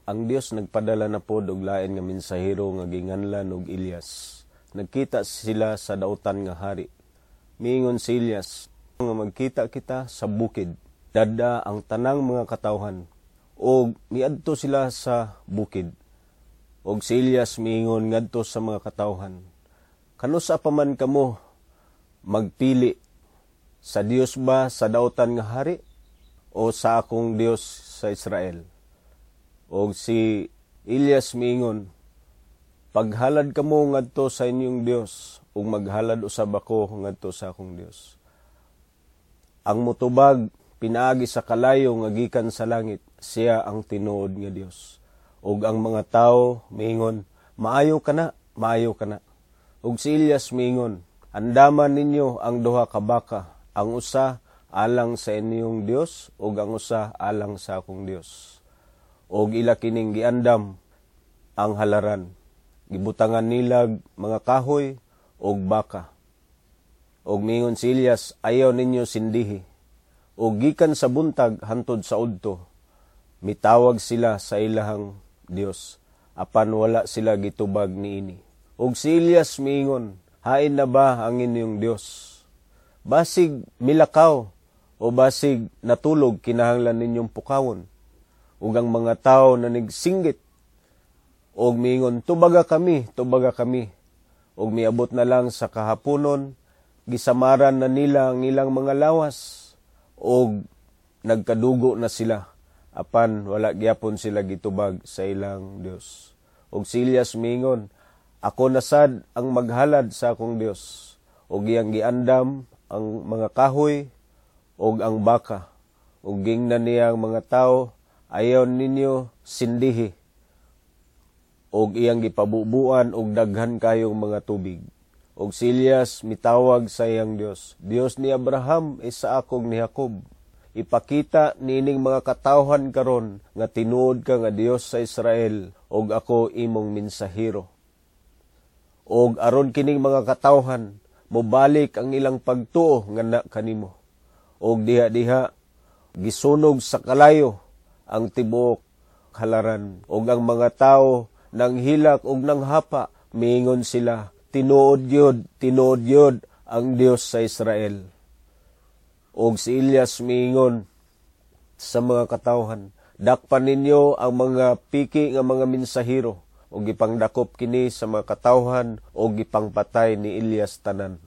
Ang Dios nagpadala na pod og lain nga mensahero nga ginganlan og Elias. Nagkita sila sa dautan nga hari. Miingon si Elias nga magkita kita sa bukid. Dada ang tanang mga katawhan og miadto sila sa bukid. Og si Elias miingon ngadto sa mga katawhan: "Kanusa pa man kamo magpili, sa Dios ba sa dautan nga hari o sa akong Dios sa Israel?" Og si Elias miingon, "Paghalad kamo ngadto sa inyong Dios ug maghalad usab ako ngadto sa akong Dios. Ang mutubag pinaagi sa kalayo nga gikan sa langit, siya ang tinuod nga Dios." Ug ang mga tawo miingon, "Maayo kana, maayo kana." Ug si Elias miingon, "Andaman ninyo ang duha ka baka, ang usa alang sa inyong Dios ug ang usa alang sa akong Dios." Og ila kining giandam ang halaran. Gibutangan nilag mga kahoy og baka. Og mingon si Elias, "Ayaw ninyo sindihi." Og gikan sa buntag hantod sa udto, mitawag sila sa ilahang Dios, apan wala sila gitubag niini. Og si Elias miingon, "Hain na ba ang inyong Dios? Basig milakaw o basig natulog, kinahanglan ninyong pukawon." Ug ang mga tawo na nigsinggit og miingon, "Tubaga kami, tubaga kami." Ug miabot na lang sa kahaponon, gisamaran na nila ang ilang mga lawas og nagkadugo na sila, apan wala gyapon sila gitubag sa ilang Dios. Og si Elias miingon, "Ako na sad ang maghalad sa akong Dios." Og iyang giandam ang mga kahoy og ang baka. Ug gingnan niya ang mga tawo, "Ayaw ninyo sindihi." Og iyang gipabubuan og daghan kayong mga tubig. Og si Elias mitawag sa iyang Dios, "Dios ni Abraham, Isaac ug ni Jacob, ipakita niining mga katawhan karon nga tinuod ka nga Dios sa Israel ug ako imong mensahero. Og aron kining mga katawhan mobalik ang ilang pagtuo nga na kanimo." Og diha-diha gisunog sa kalayo ang tibuok halaran, ug ang mga tawo nang hilak ug nang hapa, miingon sila, "Tinuod gyud, tinuod gyud ang Dios sa Israel." Og si Elias miingon sa mga katawhan, "Dakpan ninyo ang mga piki nga mga mensahero." Ug gipangdakop kini sa mga katawhan ug gipangpatay ni Elias tanan.